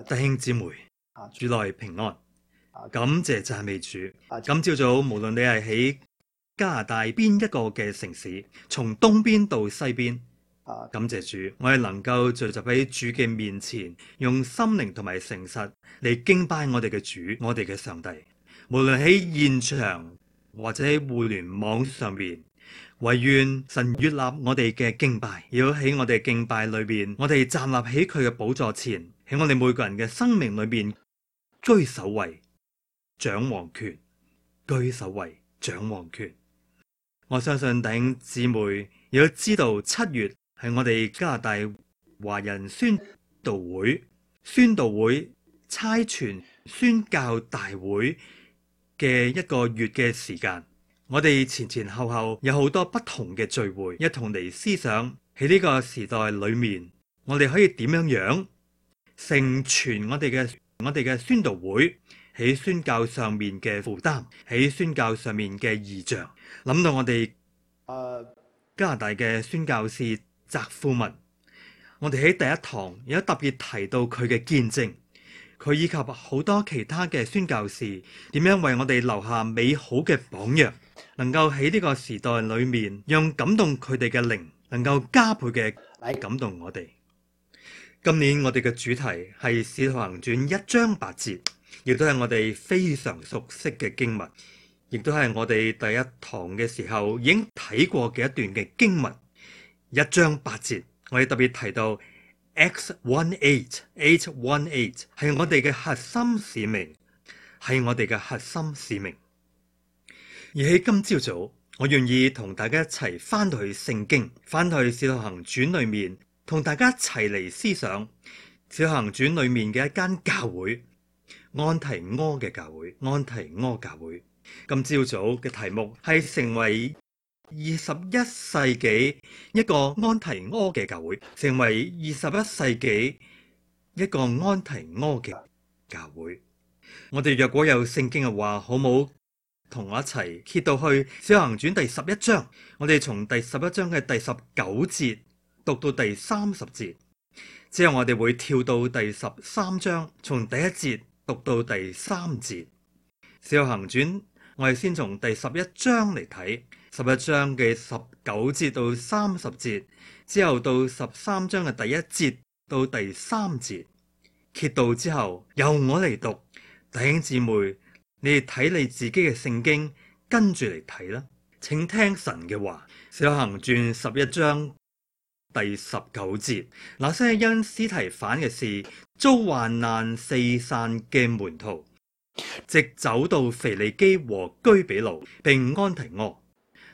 弟兄姊妹，主內平安，感謝讚美主。今朝早無論你係喺加拿大邊一個嘅城市，從東邊到西邊，感謝主，我哋能夠聚集喺主嘅面前，用心靈同埋誠實嚟敬拜我哋嘅主，我哋嘅上帝。無論喺現場或者喺互聯網上面，唯願神悅納我哋嘅敬拜，要喺我哋敬拜裏邊，我哋站立喺佢嘅寶座前，喺我哋每個人嘅生命裏邊居首位，掌王權，居首位，掌王權。我相信弟兄姊妹亦都知道，7月係我哋加拿大華人宣道會差傳宣教大會嘅一個月嘅時間。我哋前前後後有好多不同嘅聚會，一同嚟思想喺呢個時代裏面，我哋可以點樣成全我哋嘅宣道會喺宣教上面嘅負擔，喺宣教上面嘅異象。諗到我哋加拿大嘅宣教士澤富文，我哋喺第一堂有特別提到佢嘅見證，佢以及好多其他嘅宣教士點樣為我哋留下美好嘅榜樣，能夠喺呢個時代裏面，讓感動佢哋嘅靈能夠加倍嘅感動我哋。今年我哋嘅主題係《使徒行傳》1章8節，亦都係我哋非常熟悉嘅經文，亦都係我哋第一堂嘅時候已經睇過嘅一段嘅經文。1章8節，我哋特別提到 X18 係我哋嘅核心使命，係我哋嘅核心使命。而喺今朝早，我願意同大家一齊翻到去聖經，翻到去《使徒行傳》裏面，同大家一齊嚟思想《使徒行傳》裏面嘅一間教會——安提阿嘅教會。安提阿教會今朝早嘅題目係成為21世紀一個安提阿嘅教會，成為21世紀一個安提阿嘅教會。我哋若果有聖經嘅話，好冇同我一齊揭到去《使徒行傳》第11章，我哋從第11章嘅第19節讀到第30節，之後我哋會跳到第13章，從第1節讀到第3節。《使徒行傳》我哋先從第11章嚟睇，11章嘅19節到30節，之後到13章嘅第1節到第3節。揭到之後，由我嚟讀，弟兄姊妹，你哋睇你自己嘅聖經，跟住嚟睇啦。請聽神嘅話，《使徒行傳》11章第19節，那些因司提反嘅事遭患難四散嘅門徒，直走到腓尼基和居比路並安提阿，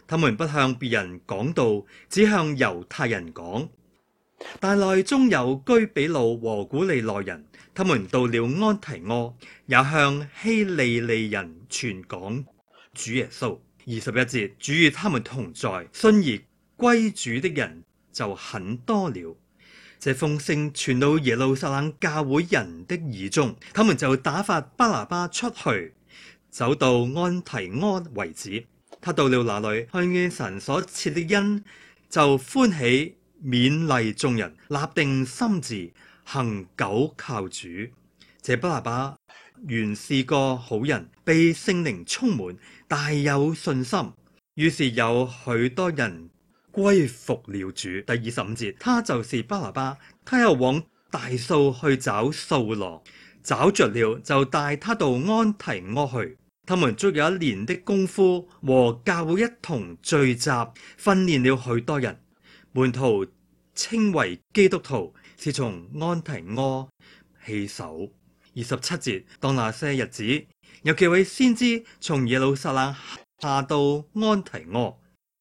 他們不向別人講道，只向猶太人講。但內中有居比路和古利奈人，他們到了安提阿，也向希利尼人傳講主耶穌。21節，主與他們同在，信而歸主的人就很多了。這風聲傳到耶路撒冷教會人的耳中，他們就打發巴拿巴出去，走到安提阿為止。他到了那裏，看見神所賜的恩，就歡喜，勉勵眾人，立定心志，恒久靠主。這巴拿巴原是個好人，被聖靈充滿，大有信心，於是有許多人歸服了主。第25節，他就是巴拿巴，他又往大數去找掃羅，找着了，就帶他到安提阿去。他們足有1年的功夫，和教會一同聚集，訓練了許多人。門徒稱為基督徒，是從安提阿起手。27節，當那些日子，有幾位先知從耶路撒冷下到安提阿，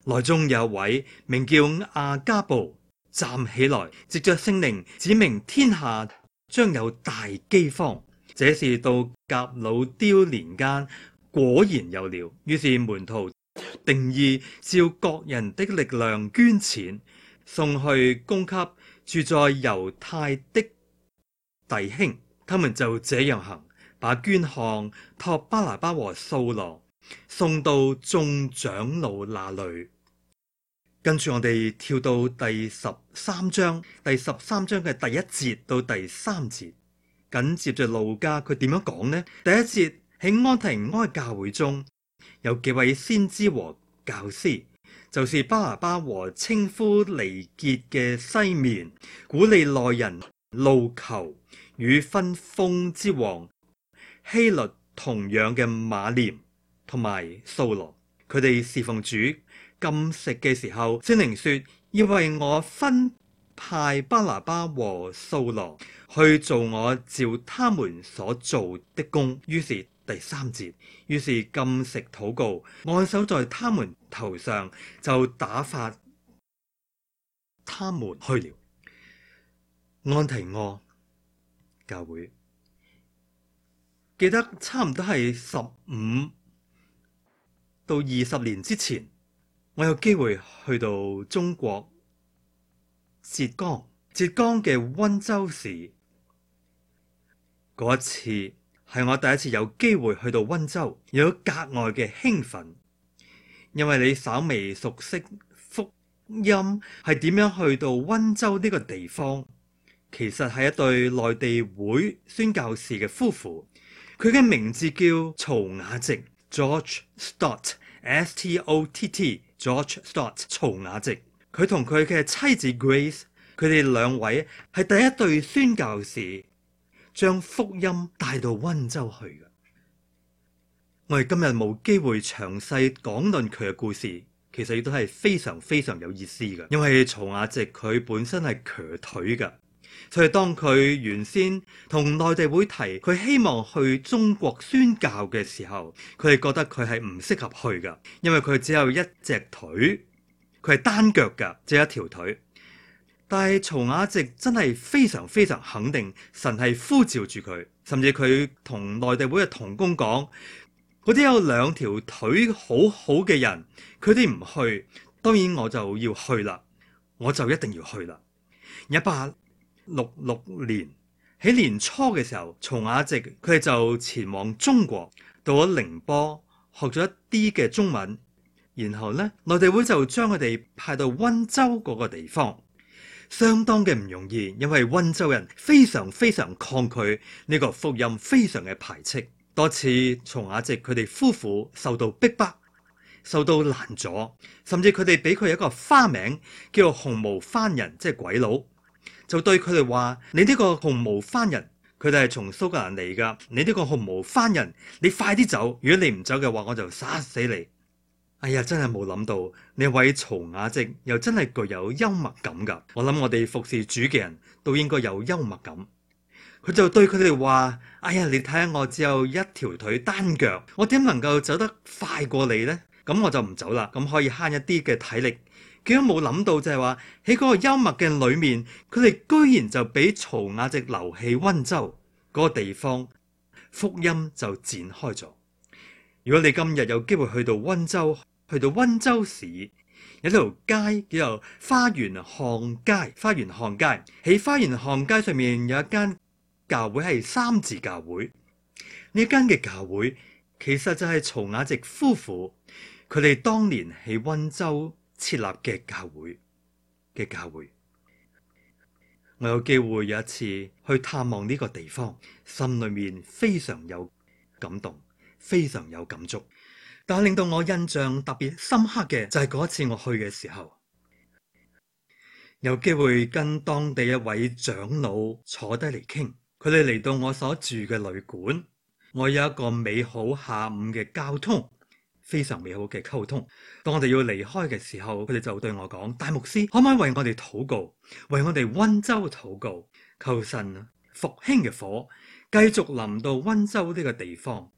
內中有一位名叫亞加布，站起來，藉着聖靈指明天下將有大饑荒。這是到革老丟年間，果然有了。於是門徒定意照各人的力量捐錢，送去供給住在猶太的弟兄。他們就這樣行，把捐項託巴拿巴和掃羅送到眾長老那裏。跟住我哋跳到第13章，第13章嘅第1節到第3節。緊接着路加佢點樣講呢？第一節，喺安提阿嘅教會中有幾位先知和教師，就是巴拿巴和稱呼尼結嘅西面、古利奈人路求與分封之王希律同樣嘅馬廉同埋掃羅。佢哋侍奉主禁食嘅時候，聖靈說要為我分派巴拿巴和掃羅去做我照他們所做的工。於是第三節，於是禁食禱告，按手在他們頭上，就打發他們去了。安提阿教會，記得差唔多係15到20年之前，我有機會去到中國浙江嘅溫州市。嗰一次係我第一次有機會去到溫州，有格外嘅興奮，因為你稍微熟悉福音係點樣去到溫州呢個地方。其實係一對內地會宣教士嘅夫婦，佢嘅名字叫曹雅直 George Stott S-T-O-T-T George Stott 曹雅直。佢同佢嘅妻子 Grace， 佢哋兩位係第一對宣教士將福音帶到溫州去嘅。我哋今日冇機會詳細講論佢嘅故事，其實亦都係非常非常有意思嘅，因為曹雅直佢本身係瘸腿嘅。所以當佢原先同內地會提佢希望去中國宣教嘅時候，佢哋覺得佢係唔適合去㗎，因為佢只有一隻腿，佢係單腳㗎，只有一條腿。但係曹雅直真係非常非常肯定神係呼召住佢，甚至佢同內地會嘅同工講，嗰啲有兩條腿好好嘅人，佢哋唔去，當然我就要去啦，我就一定要去啦。1866年喺年初嘅時候，曹雅直佢哋就前往中國，到咗寧波學咗一啲嘅中文，然後呢，內地會就將佢哋派到溫州嗰個地方，相當嘅唔容易，因為溫州人非常非常抗拒呢個福音，非常嘅排斥。多次曹雅直佢哋夫婦受到逼迫，受到攔阻，甚至佢哋俾佢一個花名叫做紅毛番人，即係鬼佬。就對佢哋話：你呢個紅毛番人，佢哋係從蘇格蘭嚟噶。你呢個紅毛番人，你快啲走！如果你唔走嘅話，我就殺死你！哎呀，真係冇諗到呢位曹雅直又真係具有幽默感噶。我諗我哋服侍主嘅人都應該有幽默感。佢就對佢哋話：哎呀，你睇下我只有一條腿單腳，我點能夠走得快過你呢？咁我就唔走啦，咁可以慳一啲嘅體力。佢都冇諗到就係話喺嗰個幽默嘅裏面，佢哋居然就俾曹雅直留喺溫州嗰個地方，福音就展開咗。如果你今日有機會去到溫州，去到溫州市，有條街叫做花園巷街。花園巷街喺花園巷街上面有一間教會係三字教會。呢間嘅教會其實就係曹雅直夫婦佢哋當年喺溫州設立嘅教會。我有機會有一次去探望呢個地方，心裏面非常有感動，非常有感觸。但係令到我印象特別深刻嘅就係嗰一次我去嘅時候，有機會跟當地一位長老坐低嚟傾，佢哋嚟到我所住嘅旅館，我有一個美好下午嘅交通。非常美好嘅溝通。當我哋要離開嘅時候，佢哋就對我講：大牧師，可唔可以為我哋禱告，為我哋溫州禱告，求神復興嘅火繼續臨到溫州呢個地方。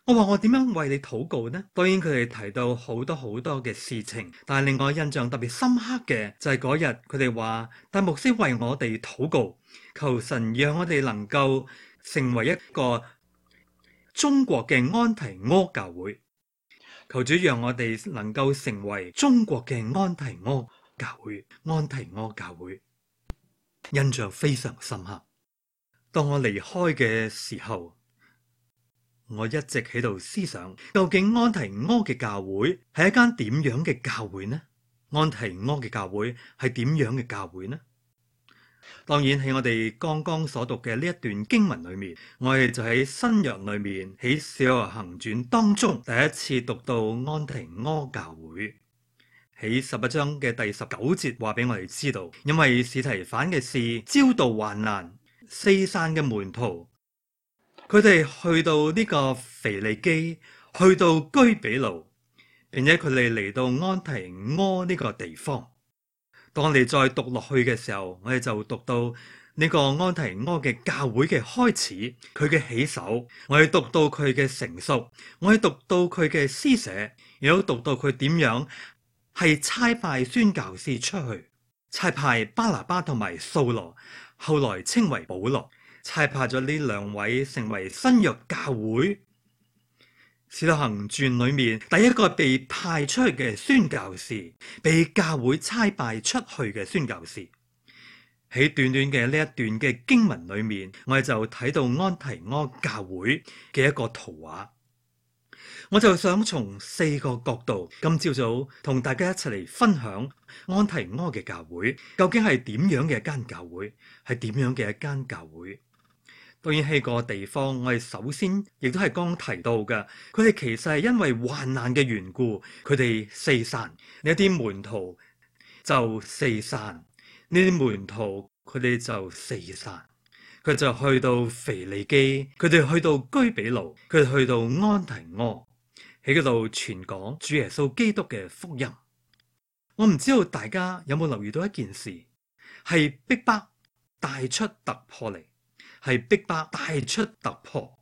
我話我點樣為你禱告呢？當然佢哋提到好多好多嘅事情，但係令我印象特別深刻嘅就係嗰日佢哋話：大牧師為我哋禱告，求神讓我哋能夠成為一個中國嘅安提阿教會。求主讓我哋能夠成為中國嘅安提阿教會。安提阿教會印象非常深刻。當我離開嘅時候，我一直喺度思想，究竟安提阿嘅教會係一間點樣嘅教會呢？安提阿嘅教會係點樣嘅教會呢？當然喺我哋剛剛所讀嘅呢一段經文裏面，我哋就喺新約裏面喺使徒行傳當中第一次讀到安提阿教會。喺11章嘅第19節話俾我哋知道，因為司提反嘅事招到患難，四散嘅門徒，佢哋去到呢個腓尼基，去到居比路，並且佢哋嚟到安提阿呢個地方。當我哋再讀落去嘅時候，我哋就讀到呢個安提阿嘅教會嘅開始，佢嘅起手，我哋讀到佢嘅成熟，我哋讀到佢嘅施捨，亦都讀到佢點樣係差派宣教士出去，差派巴拿巴同埋掃羅，後來稱為保羅，差派咗呢兩位成為新約教會使徒行傳裏面第一個被派出去嘅宣教士，被教會差派出去嘅宣教士。喺短短嘅呢一段嘅經文裏面，我哋就睇到安提阿教會嘅一個圖畫。我就想從4個角度，今朝早同大家一齊嚟分享安提阿嘅教會究竟係點樣嘅一間教會，係點樣嘅一間教會。當然喺個地方，我哋首先亦都係剛提到嘅，佢哋其實係因為患難嘅緣故，佢哋四散，呢一啲門徒就四散，呢啲門徒佢哋就四散，佢就去到腓尼基，佢哋去到居比路，佢哋去到安提阿，喺嗰度傳講主耶穌基督嘅福音。我唔知道大家有冇留意到一件事，係逼迫帶出突破嚟。係逼迫帶出突破，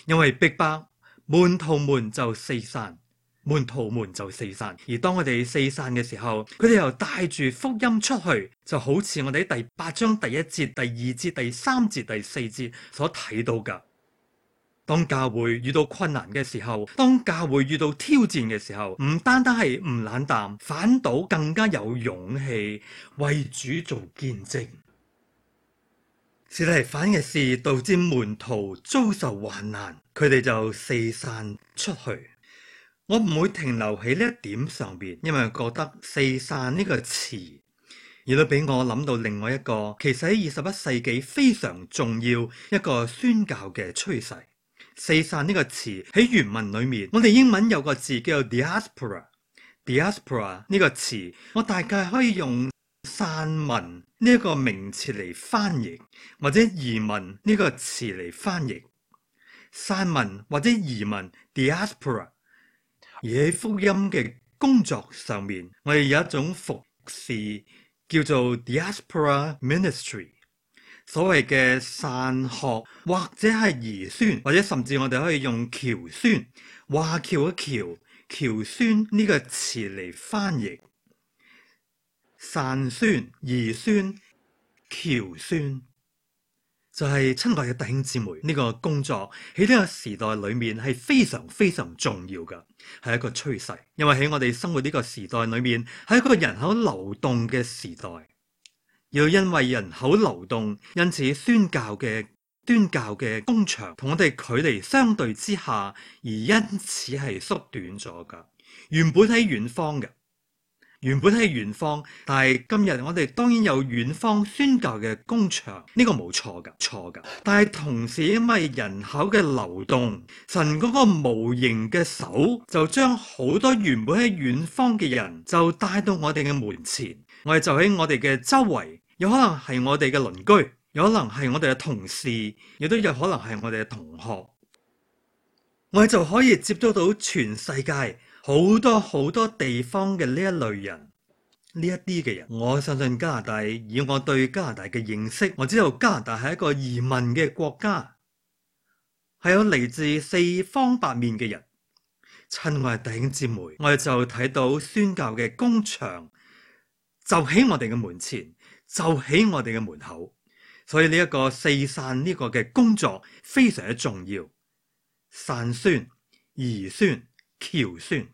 因為逼迫門徒們就四散，門徒們就四散。而當我哋四散嘅時候，佢哋又帶住福音出去，就好似我哋喺第8章第1節、第2節、第3節、第4節所睇到㗎。當教會遇到困難嘅時候，當教會遇到挑戰嘅時候，唔單單係唔冷淡，反倒更加有勇氣為主做見證。司提反嘅事導致門徒遭受患難，佢哋就四散出去。我唔會停留喺呢一點上邊，因為覺得四散呢個詞亦都俾我諗到另外一個，其實喺21世紀非常重要一個宣教嘅趨勢。四散呢個詞喺原文裏面，我哋英文有個字叫做 diaspora。diaspora 呢個詞，我大概可以用散民呢一個名詞嚟翻譯，或者移民呢個詞嚟翻譯。散民或者移民 diaspora。而喺福音嘅工作上面，我哋有一種服侍叫做 diaspora ministry。所謂嘅散學或者係移宣，或者甚至我哋可以用僑宣，華僑嘅僑，僑宣呢個詞嚟翻譯。散宣、移宣、僑宣，就係親愛嘅弟兄姊妹，呢個工作喺呢個時代裏面係非常非常重要嘅，係一個趨勢。因為喺我哋生活呢個時代裏面，係一個人口流動嘅時代，又因為人口流動，因此宣教嘅工場同我哋距離相對之下，而因此係縮短咗噶。原本喺遠方嘅。但係今日我哋當然有遠方宣教嘅工場，呢個冇錯噶。但係同時因為人口嘅流動，神嗰個無形嘅手就將好多原本喺遠方嘅人就帶到我哋嘅門前，我哋就喺我哋嘅周圍，有可能係我哋嘅鄰居，有可能係我哋嘅同事，亦都有可能係我哋嘅同學，我哋就可以接觸到全世界好多地方嘅呢一類人，呢一啲嘅人。我相信加拿大，以我對加拿大嘅認識，我知道加拿大係一個移民嘅國家，係有嚟自四方八面嘅人。親愛弟兄姊妹，我哋就睇到宣教嘅工場就喺我哋嘅門前，就喺我哋嘅門口，所以呢一個四散呢個嘅工作非常之重要。散宣、移宣、僑宣，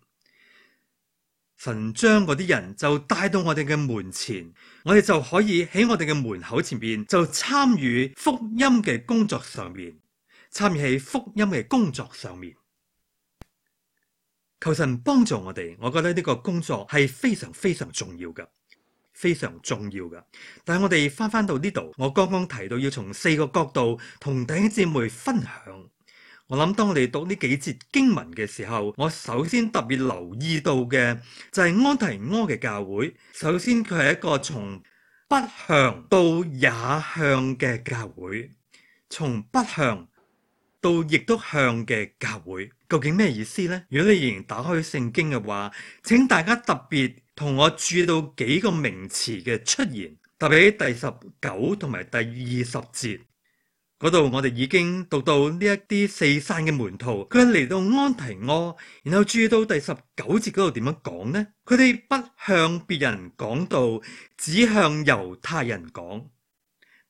神將嗰啲人就帶到我哋嘅門前，我哋就可以喺我哋嘅門口前邊就參與福音嘅工作上面，參與喺福音嘅工作上面。求神幫助我哋，我覺得呢個工作係非常非常重要嘅，非常重要㗎。但係我哋翻到呢度，我剛剛提到要從4個角度同弟兄姊妹分享。我諗當我哋讀呢幾節經文嘅時候，我首先特別留意到嘅就係安提阿嘅教會。首先佢係一個從北向到也向嘅教會，從北向到亦都向嘅教會，究竟咩意思呢？如果你仍然打開聖經嘅話，請大家特別同我注意到幾個名詞嘅出現，特別喺第19同埋第20節嗰度，我哋已經讀到呢一啲四散嘅門徒，佢嚟到安提阿，然後注意到第19節嗰度點樣講呢？佢哋不向別人講道，只向猶太人講。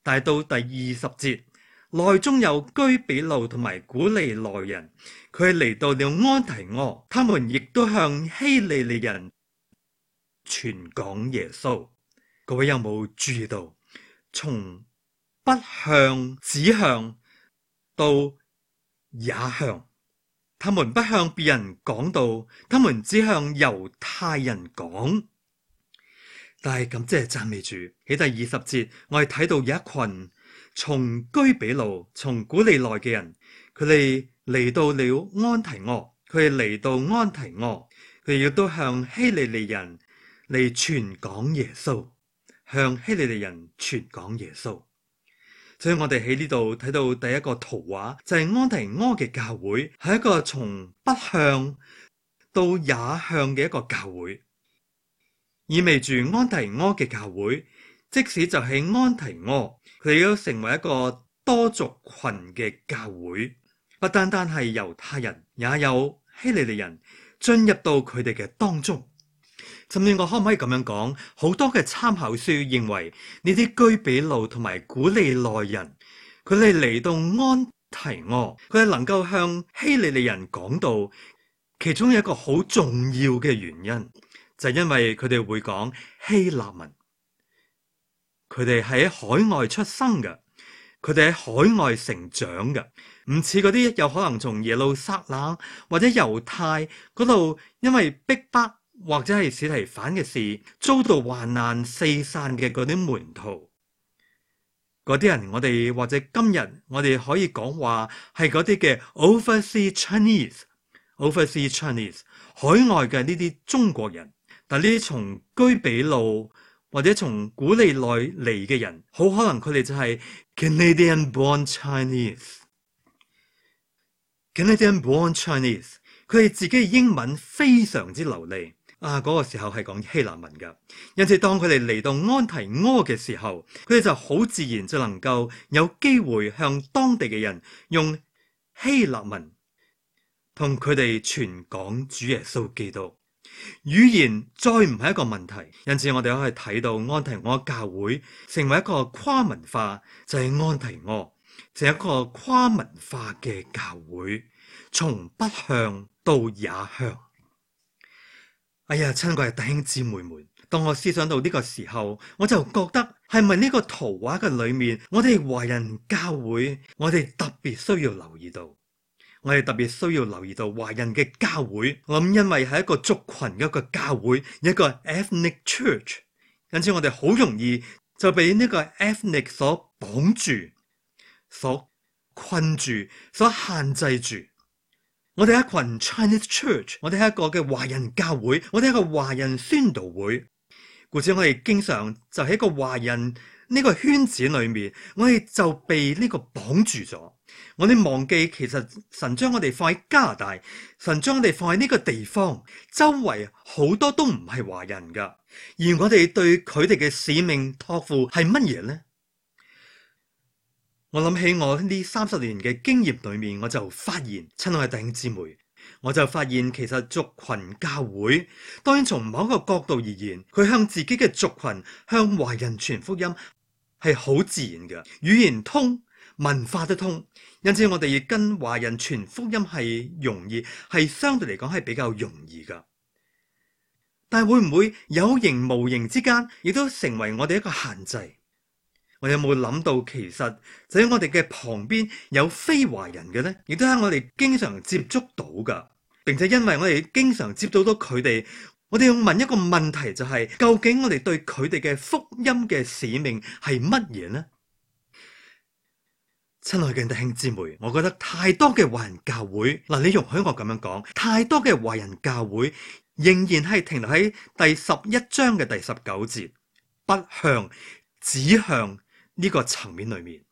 但係到第20節，內中有居比路同埋古利奈人，佢嚟到了安提阿，他們亦都向希利尼人傳講耶穌。各位有冇注意到，從北向指向到也向，他們不向別人講道，他們只向猶太人講。但係感謝讚美主，喺第20節，我哋睇到有一群從居比路、從古利奈嘅人，佢哋嚟到了安提阿，佢哋嚟到安提阿，佢哋亦都向希利尼人嚟傳講耶穌，向希利尼人傳講耶穌。所以我哋喺呢度睇到第一個圖畫，就係安提阿嘅教會係一個從北向到也向嘅一個教會，意味住安提阿嘅教會，即使就喺安提阿，佢哋都成為一個多族群嘅教會，不單單係猶太人，也有希利尼人進入到佢哋嘅當中。甚至我可唔可以咁樣講？好多嘅參考書認為呢啲居比路同埋古利奈人，佢哋嚟到安提阿，佢哋能夠向希利尼人講道，其中有一個好重要嘅原因，就係因為佢哋會講希臘文，佢哋喺海外出生嘅，佢哋喺海外成長嘅，唔似嗰啲有可能從耶路撒冷或者猶太嗰度因為逼迫或者係司提反嘅事遭到患難四散嘅嗰啲門徒，嗰啲人我哋或者今日我哋可以講話係嗰啲嘅 overseas Chinese 海外嘅呢啲中國人。但呢啲從居比路或者從古利奈嚟嘅人，好可能佢哋就係 Canadian born Chinese， 佢哋自己嘅英文非常之流利。嗰個時候係講希臘文噶，因此當佢哋嚟到安提阿嘅時候，佢哋就好自然就能夠有機會向當地嘅人用希臘文同佢哋傳講主耶穌基督。語言再唔係一個問題，因此我哋可以睇到安提阿教會成為一個跨文化，就係安提阿，就係一個跨文化嘅教會，從北向到也向。哎呀，親愛嘅弟兄姊妹們，當我思想到呢個時候，我就覺得係咪呢個圖畫嘅裏面，我哋華人教會，我哋特別需要留意到，華人嘅教會。我諗因為係一個族群嘅一個教會，一個 ethnic church， 因此我哋好容易就被呢個 ethnic 所綁住、所困住、所限制住。我哋係一群 Chinese Church， 我哋係一個嘅華人教會，我哋係一個華人宣道會，故此我哋經常就喺一個華人呢個圈子裏面，我哋就被呢個綁住咗。我哋忘記其實神將我哋放喺加拿大，神將我哋放喺呢個地方，周圍好多都唔係華人噶，而我哋對佢哋嘅使命託付係乜嘢呢？我諗起我呢30年嘅經驗裏面，我就發現，親愛嘅弟兄姊妹，我就發現其實族群教會，當然從某一個角度而言，佢向自己嘅族群向華人傳福音係好自然嘅，語言通，文化都通，因此我哋要跟華人傳福音係容易，係相對嚟講係比較容易噶。但係會唔會有形無形之間，亦都成為我哋一個限制？我有冇諗到，其實就喺我哋嘅旁邊有非華人嘅呢？亦都係我哋經常接觸到噶，並且因為我哋經常接觸到佢哋，我哋要問一個問題，就係究竟我哋對佢哋嘅福音嘅使命係乜嘢呢？親愛嘅弟兄姊妹，我覺得太多嘅華人教會，嗱，你容許我咁樣講，太多嘅華人教會仍然係停留喺第11章嘅第19節，不向指向呢個層面裏面。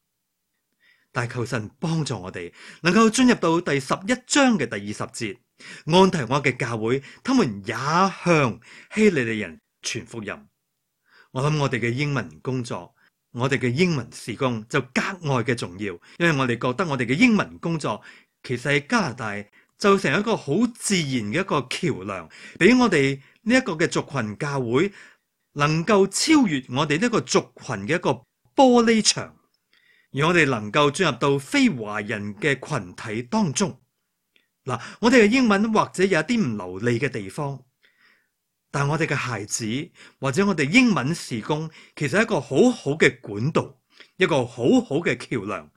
但求神幫助我哋，能夠進入到第11章嘅第20節，安提阿嘅教會，他們也向希利尼人傳福音。我諗我哋嘅英文工作，我哋嘅英文事工就格外嘅重要，因為我哋覺得我哋嘅英文工作其實喺加拿大就成一個好自然嘅一個橋樑，俾我哋呢一個嘅族群教會能夠超越我哋呢個族群嘅一個玻璃牆，而我哋能夠進入到非華人嘅群體當中。嗱，我哋嘅英文或者有一啲唔流利嘅地方，但我哋嘅孩子或者我哋英文事工，其實係一個好好嘅管道，一個好好嘅橋樑，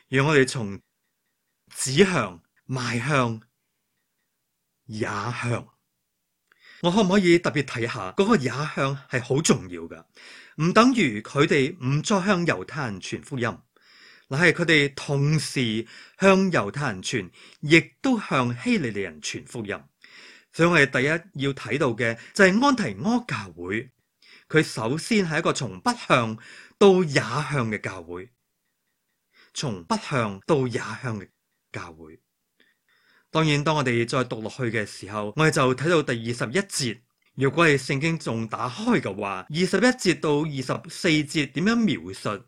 讓我哋從指向邁向也向。我可唔可以特別睇下嗰個也向係好重要㗎？唔等於佢哋唔再向猶太人傳福音，嗱，係佢哋同時向猶太人傳，亦都向希利尼人傳福音。所以我哋第一要睇到嘅就係安提阿教會，佢首先係一個從不向到也向嘅教會，從不向到也向嘅教會。當然，當我哋再讀落去嘅時候，我哋就睇到第21節。如果係聖經仲打開嘅話，21節到24節點樣描述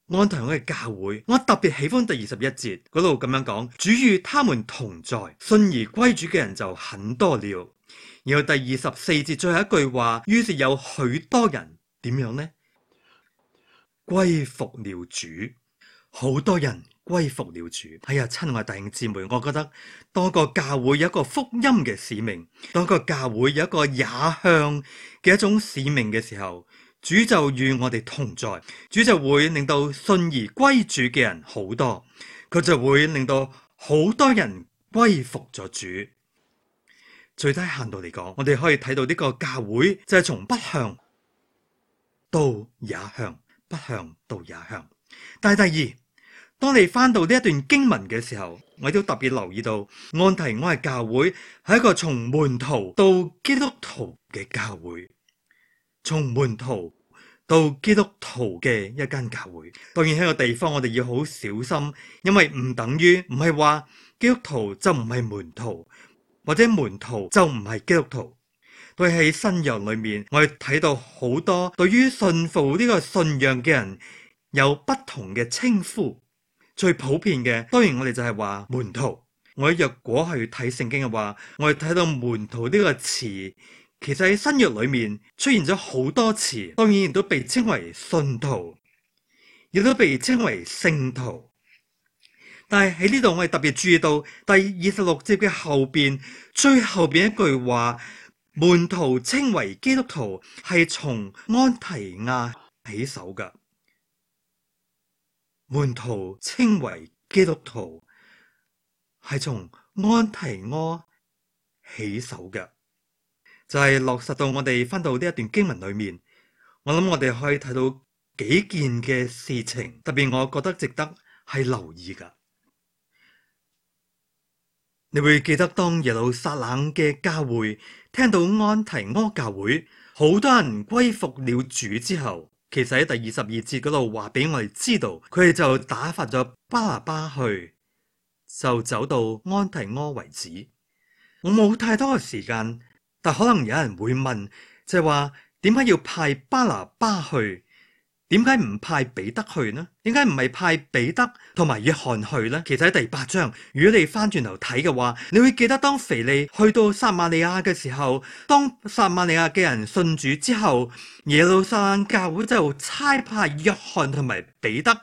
安提阿嘅教會？我特別喜歡第21節嗰度咁樣講：主與他們同在，信而歸主嘅人就很多了。然後第24節最後一句話，於是有許多人點樣呢？歸服了主，好多人歸服了主。哎呀，親愛弟兄姊妹，我覺得當個教會有一個福音嘅使命，當個教會有一個也向嘅一種使命嘅時候，主就與我哋同在，主就會令到信而歸主嘅人好多，佢就會令到好多人歸服咗主。最低限度嚟講，我哋可以睇到呢個教會就係從不向到也向，不向到也向。但係第二，當你翻到呢一段經文嘅時候，我都特別留意到安提阿嘅教會係一個從門徒到基督徒嘅教會，從門徒到基督徒嘅一間教會。當然喺個地方我哋要好小心，因為唔等於唔係話基督徒就唔係門徒，或者門徒就唔係基督徒。對，喺新約裏面，我哋睇到好多對於信服呢個信仰嘅人有不同嘅稱呼。最普遍嘅，當然我哋就係話門徒。我若果去睇聖經嘅話，我哋睇到門徒呢個詞，其實喺新約裏面出現咗好多詞，當然亦都被稱為信徒，亦都被稱為聖徒。但係喺呢度我哋特別注意到第26節嘅後邊，最後邊一句話，門徒稱為基督徒係從安提阿起手㗎。門徒稱為基督徒係從安提阿起手嘅，就係落實到我哋翻到呢一段經文裏面。我諗我哋可以睇到幾件嘅事情，特別我覺得值得係留意噶。你會記得當耶路撒冷嘅教會聽到安提阿教會好多人歸服了主之後，其實喺第22節嗰度話俾我哋知道，佢哋就打發咗巴拿巴去，就走到安提阿為止。我冇太多嘅時間，但可能有人會問，就係話點解要派巴拿巴去？點解唔派彼得去呢？點解唔係派彼得同埋約翰去呢？其實喺第8章，如果你翻轉頭睇嘅話，你會記得當腓利去到撒瑪利亞嘅時候，當撒瑪利亞嘅人信主之後，耶路撒冷教會就差派約翰同埋彼得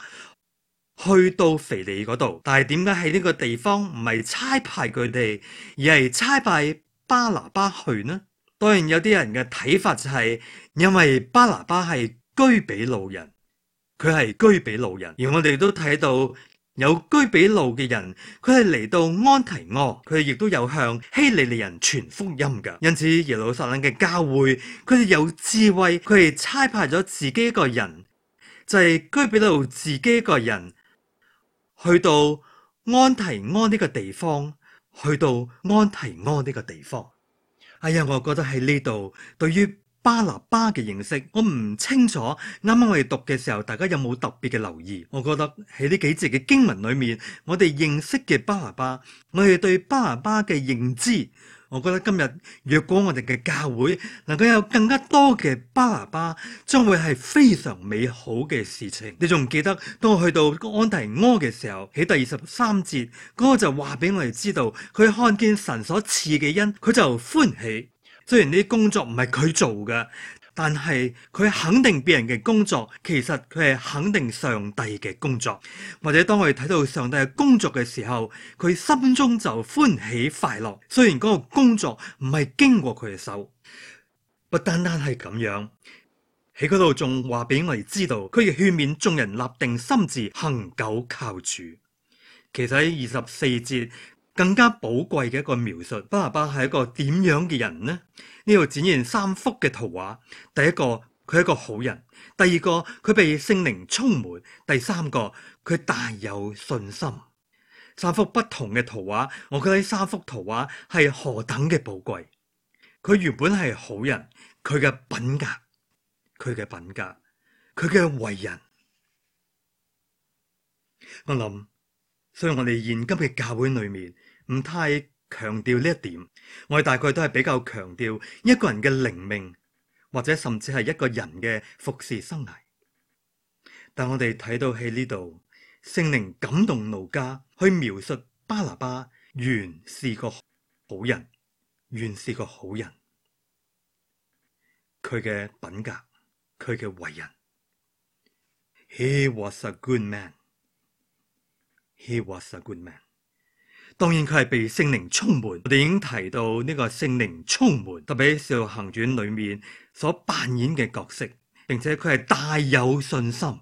去到腓利嗰度。但係點解喺呢個地方唔係差派佢哋，而係差派巴拿巴去呢？當然有啲人嘅睇法就係因為巴拿巴係居比路人，佢係居比路人，而我哋都睇到有有居比路嘅人，佢係嚟到安提阿，佢哋亦都有向希利尼人傳福音㗎。因此耶路撒冷嘅教會，佢哋有智慧，佢哋差派咗自己一個人，就係居比路自己一個人，去到安提阿呢個地方，去到安提阿呢個地方。哎呀，我覺得喺呢度對於巴拿巴嘅認識，我唔清楚。啱啱我哋讀嘅時候，大家有冇特別嘅留意？我覺得喺呢幾節嘅經文裏面，我哋認識嘅巴拿巴，我哋對巴拿巴嘅認知，我覺得今日若果我哋嘅教會能夠有更加多嘅巴拿巴，將會係非常美好嘅事情。你仲記得當我去到安提阿嘅時候，喺第23節嗰個就話俾我哋知道，佢看見神所賜嘅恩，佢就歡喜。雖然呢啲工作唔係佢做嘅，但係佢肯定別人嘅工作，其實佢係肯定上帝嘅工作。或者當我哋睇到上帝嘅工作嘅時候，佢心中就歡喜快樂。雖然嗰個工作唔係經過佢嘅手，不單單係咁樣，喺嗰度仲話俾我哋知道，佢亦勸勉眾人立定心志，恆久靠主。其實喺24節更加寶貴嘅一個描述，巴拿巴係一個點樣嘅人呢？呢度展現3幅嘅圖畫。第一個，佢係一個好人；第二個，佢被聖靈充滿；第三個，佢大有信心。3幅不同嘅圖畫，我覺得呢3幅圖畫係何等嘅寶貴。佢原本係好人，佢嘅品格，佢嘅為人，我諗，所以我哋現今嘅教會裏面唔太強調呢一點，我哋大概都係比較強調一個人嘅靈命，或者甚至係一個人嘅服侍生涯。但我哋睇到喺呢度，聖靈感動路加去描述巴拿巴原是個好人，佢嘅品格，佢嘅為人。He was a good man. 當然佢係被聖靈充滿。我哋已經提到呢個聖靈充滿，特別喺《使徒行傳》裏面所扮演嘅角色，並且佢係大有信心。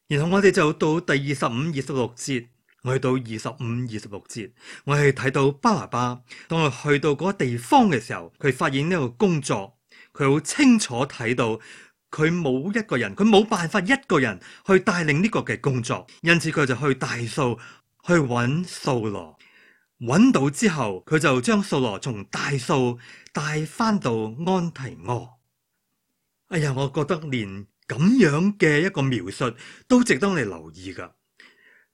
然後我哋就到第25、26節，我去到25、26節，我係睇到巴拿巴當佢去到嗰個地方嘅時候，佢發現呢個工作，佢好清楚睇到。佢冇一個人，佢冇辦法一個人去帶領呢個嘅工作，因此佢就去大數去揾掃羅，揾到之後，佢就將掃羅從大數帶翻到安提阿。哎呀，我覺得連咁樣嘅一個描述都值得我哋留意噶。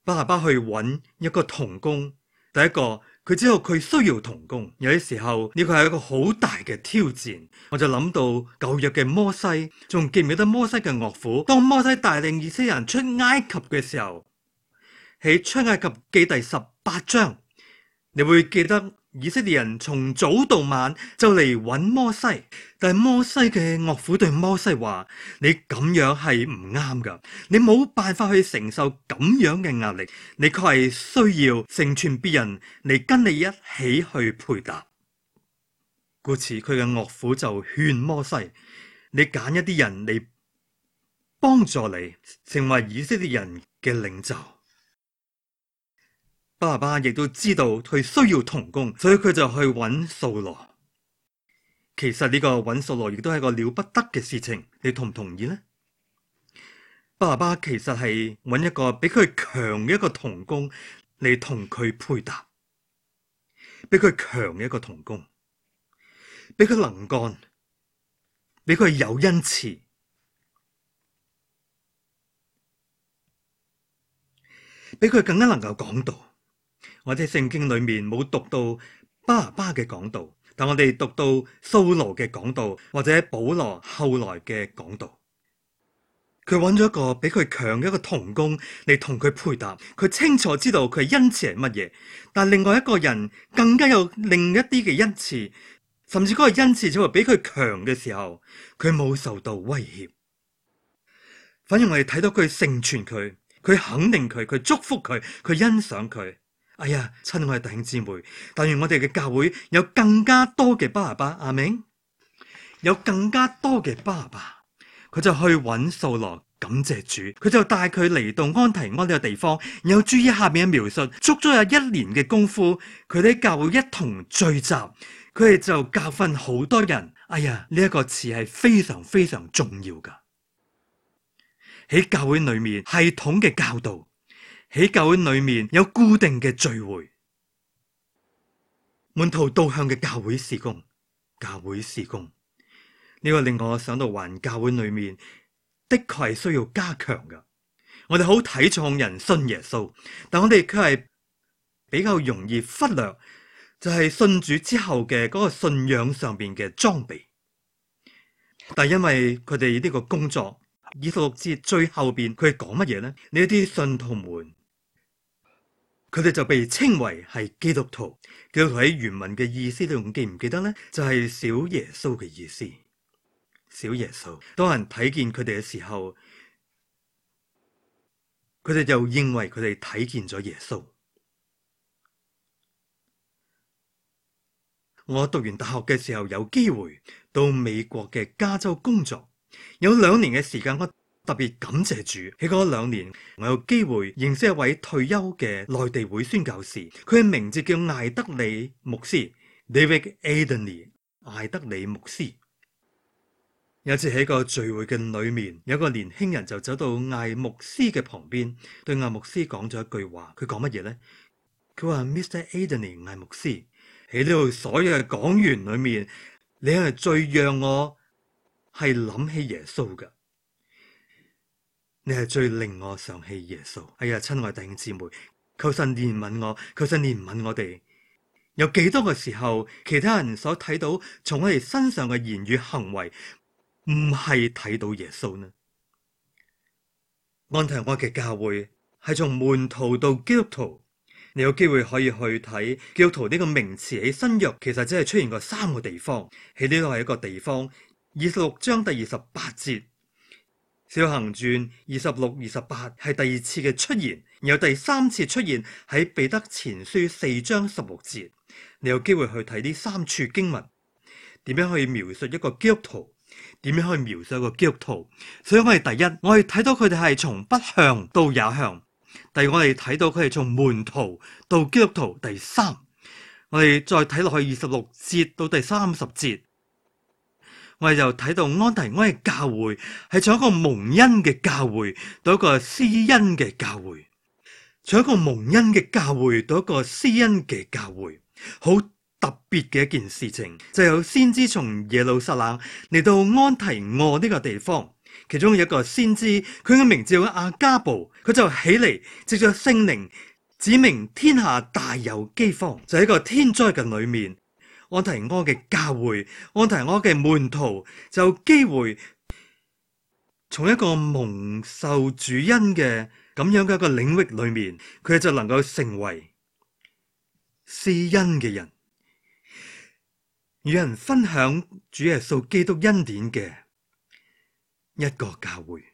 巴拿巴去揾一個同工，第一個。佢知道佢需要同工，有啲時候呢個係一個好大嘅挑戰。我就諗到舊約嘅摩西，仲記唔記得摩西嘅岳父？當摩西帶領以色列人出埃及嘅時候，喺出埃及記第18章，你會記得以色列人從早到晚就嚟揾摩西，但係摩西嘅岳父對摩西話：你咁樣係唔啱噶，你冇辦法去承受咁樣嘅壓力，你確係需要成全別人嚟跟你一起去配搭。故此佢嘅岳父就勸摩西：你揀一啲人嚟幫助你，成為以色列人嘅領袖。巴拿巴亦都知道佢需要同工，所以佢就去揾掃羅。其實呢個揾掃羅亦都係個了不得嘅事情，你同唔同意呢？巴拿巴其實係揾一個比佢強嘅一個同工嚟同佢配搭，比佢強嘅一個同工，比佢能幹，比佢有恩賜，比佢更加能夠講道。我哋聖經裏面冇讀到巴拿巴嘅講道，但我哋讀到掃羅嘅講道，或者保羅後來嘅講道。佢揾咗一個比佢強嘅一個同工嚟同佢配搭，佢清楚知道佢恩賜係乜嘢，但另外一個人更加有另一啲嘅恩賜，甚至嗰個恩賜就會比佢強嘅時候，佢冇受到威脅。反而我哋睇到佢成全佢，佢肯定佢，佢祝福佢，佢欣賞佢。哎呀，親愛嘅弟兄姊妹，但願我哋嘅教會有更加多嘅巴拿巴，阿們，有更加多嘅巴拿巴，佢就去揾掃羅，感謝主，佢就帶佢嚟到安提阿呢個地方。然後注意下面嘅描述，足足有1年嘅功夫，佢哋喺教會一同聚集，佢哋就教訓好多人。哎呀，呢一個詞係非常非常重要噶。喺教會裏面系統嘅教導，喺教會裏面有固定嘅聚會，門徒導向嘅教會事工，教會事工呢個令我想到環教會裏面的確係需要加強噶。我哋好睇重人信耶穌，但我哋卻係比較容易忽略，就係信主之後嘅嗰個信仰上邊嘅裝備。但因為佢哋呢個工作，26節最後邊佢係講乜嘢呢？呢啲信徒們，佢哋就被稱為係基督徒。基督徒喺原文嘅意思，你仲記唔記得呢？就係小耶穌嘅意思。小耶穌，當人睇見佢哋嘅時候，佢哋就認為佢哋睇見咗耶穌。我讀完大學嘅時候，有機會到美國嘅加州工作，有2年嘅時間，我特別感謝主。喺嗰2年，我有機會認識一位退休嘅內地會宣教士，佢嘅名字叫艾德里牧師 David Adney。艾德里牧師有一次喺個聚會嘅裏面，有個年輕人就走到艾牧師嘅旁邊，對艾牧師講咗一句話。佢講乜嘢呢？佢話 Mr. Adney， 艾牧師，喺呢度所有嘅講員裏面，你係最讓我係諗起耶穌噶，你係最令我想起耶穌。哎呀，親愛弟兄姊妹，求神憐憫我，求神憐憫我哋。有幾多個時候，其他人所睇到從我哋身上嘅言語行為，唔係睇到耶穌呢？安提阿嘅教會係從門徒到基督徒。你有機會可以去睇基督徒呢個名詞喺新約，其實只係出現過3個地方。喺呢度係一個地方，26章第28節，使行傳26、28係第2次嘅出現，然後第3次出現喺彼得前書4章16節。你有機會去睇呢3處經文，點樣去描述一個基督徒？點樣去描述一個基督徒？所以我哋第一，我哋睇到佢哋係從不向到也向。第二，我哋睇到佢係從門徒到基督徒。第3，我哋再睇落去26節到第30節，我哋就睇到安提阿嘅教會係從一個蒙恩嘅教會到一個施恩嘅教會，從一個蒙恩嘅教會到一個施恩嘅教會。好特別嘅一件事情，就有先知從耶路撒冷嚟到安提阿呢個地方。其中有一個先知，佢嘅名字叫阿加布，佢就起嚟，藉着聖靈指明天下大有饑荒。就喺一個天災嘅裏面，安提阿嘅教會，安提阿嘅門徒就有機會從一個蒙受主恩嘅咁樣嘅一個領域裏面，佢就能夠成為施恩嘅人，與人分享主耶穌基督恩典嘅一個教會。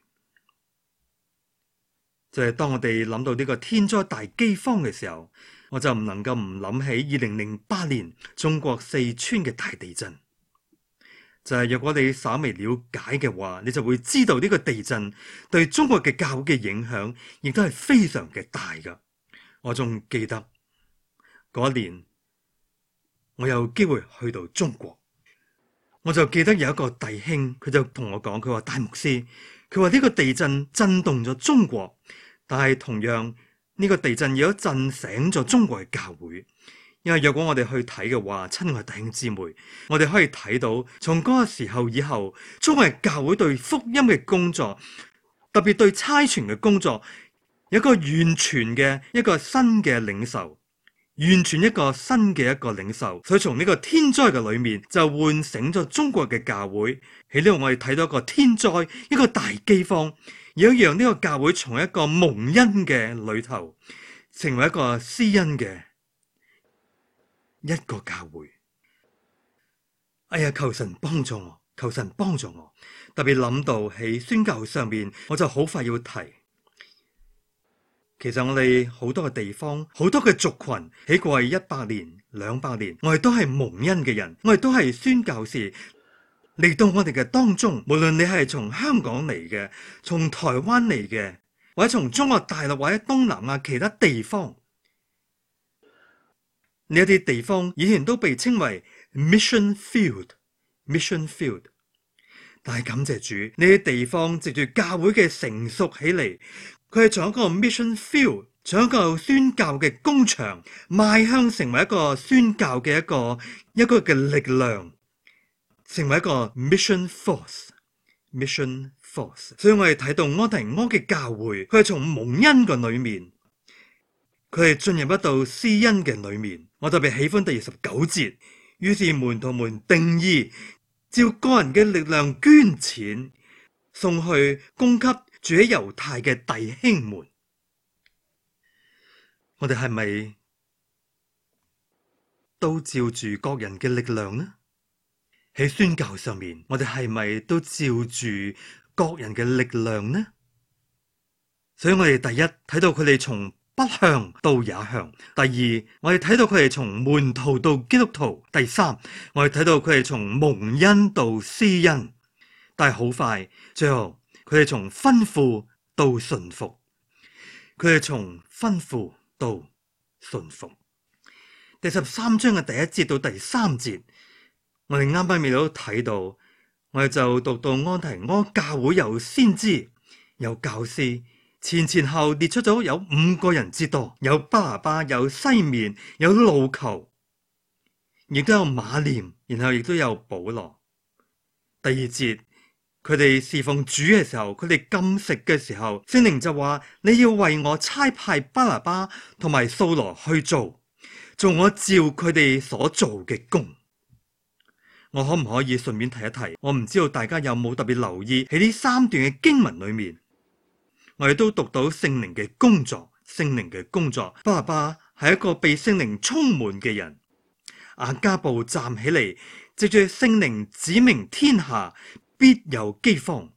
就係當我哋諗到呢個天災大饑荒嘅時候，我就唔能夠唔諗起2008年中國四川嘅大地震。就係若果你稍微了解嘅話，你就會知道呢個地震對中國嘅教會嘅影響亦都係非常嘅大噶。我仲記得嗰年我有機會去到中國，我就記得有一個弟兄，佢就同我講，佢話大牧師，佢話呢個地震震動咗中國，但係同樣呢個地震亦都震醒咗中國嘅教會。因為若果我哋去睇嘅話，親愛弟兄姊妹，我哋可以睇到從嗰個時候以後，中國嘅教會對福音嘅工作，特別對差傳嘅工作，有一個完全嘅一個新嘅領受，完全一個新嘅一個領受。所以從呢個天災嘅裏面就喚醒咗中國嘅教會。喺呢度我哋睇到一個天災，一個大饑荒，而讓呢個教會從一個蒙恩嘅裏頭成為一個施恩嘅一個教會。哎呀，求神幫助我，求神幫助我。特別諗到喺宣教上面，我就好快要提。其實我哋好多嘅地方，好多嘅族群喺過去100年、200年，我哋都係蒙恩嘅人，我哋都係宣教士。嚟到我哋嘅當中，無論你係從香港嚟嘅，從台灣嚟嘅，或者從中國大陸或者東南亞其他地方，呢一啲地方以前都被稱為 mission field。mission field。但係感謝主，呢啲地方藉住教會嘅成熟起嚟，佢係從一個 mission field，從一個宣教嘅工場，邁向成為一個宣教嘅一個嘅力量，成為一個 mission force。mission force。所以我哋睇到安提阿嘅教會，佢係從蒙恩嘅裏面，佢係進入一道施恩嘅裏面。我特別喜歡第29節，於是門徒們定意照個人嘅力量捐錢，送去供給住喺猶太嘅弟兄們。我哋係咪都照住各人嘅力量呢？喺宣教上面，我哋係咪都照住各人嘅力量呢？所以我哋第一睇到佢哋從不向到也向，第二我哋睇到佢哋從門徒到基督徒，第三我哋睇到佢哋從蒙恩到施恩，但係好快最後佢哋從吩咐到順服，佢哋從吩咐到順服。第13章嘅第1節到第3節，我哋啱啱未都睇到，我哋就讀到安提阿教會有先知有教師，前後列出咗有5個人之多，有巴拿巴，有西面，有路求，亦都有馬念，然後亦都有保羅。第2節，佢哋侍奉主嘅時候，佢哋禁食嘅時候，聖靈就話：你要為我差派巴拿巴同埋掃羅去做我照佢哋所做嘅工。我可唔可以順便提一提？我唔知道大家有冇特別留意喺呢3段嘅經文裏面，我哋都讀到聖靈嘅工作。聖靈嘅工作，巴拿巴係一個被聖靈充滿嘅人。亞加布站起嚟，藉住聖靈指明天下必有饑荒。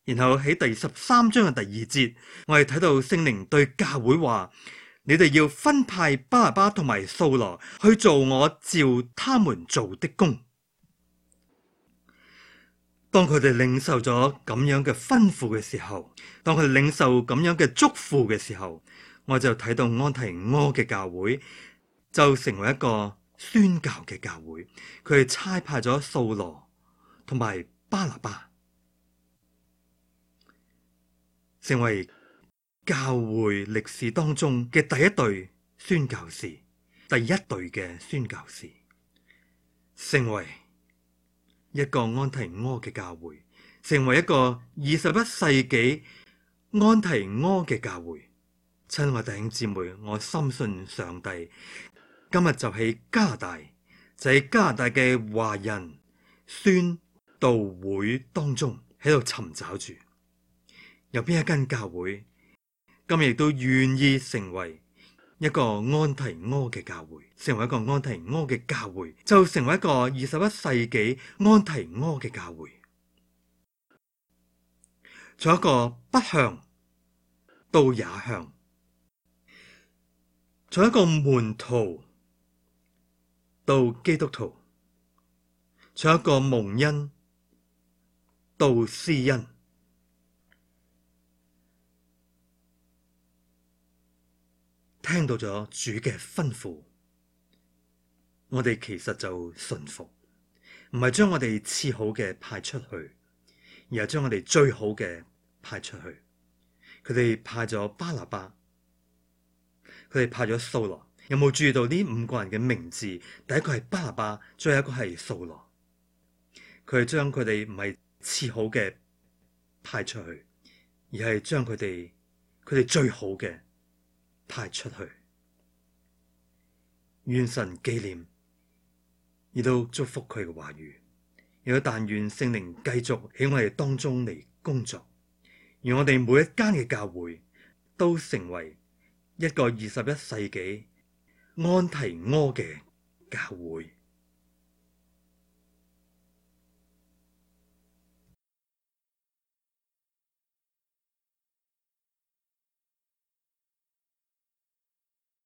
然後喺第13章嘅第2節，我哋睇到聖靈對教會話：你哋要分派巴拿巴同埋掃羅去做我照他們做的工。當佢哋領受咗咁樣嘅吩咐嘅時候，當佢哋領受咁樣嘅祝福嘅時候，我就睇到安提阿嘅教會就成為一個宣教嘅教會。佢哋差派咗掃羅同埋巴拿巴，成為教會歷史當中嘅第一隊宣教士，第一隊嘅宣教士，成為一個安提阿嘅教會，成為一個21世紀安提阿嘅教會。親愛弟兄姊妹，我深信上帝今日就喺加拿大，就喺加拿大嘅華人宣道會當中喺度尋找住，有邊一間教會今日亦都願意成為一個安提阿嘅教會，成為一個安提阿嘅教會，就成為一個21世紀安提阿嘅教會。從一個不向到也向，從一個門徒到基督徒，從一個蒙恩到施恩。聽到咗主嘅吩咐，我哋其實就順服，唔係將我哋次好嘅派出去，而係將我哋最好嘅派出去。佢哋派咗巴拿巴，佢哋派咗掃羅。有冇注意到呢5個人嘅名字？第一個係巴拿巴，最後一個係掃羅。佢係將佢哋唔係次好嘅派出去，而係將佢哋最好嘅派出去。願神紀念，亦都祝福佢嘅話語，亦都但願聖靈繼續喺我哋當中嚟工作，讓我哋每一間嘅教會都成為一個21世紀安提阿嘅教會。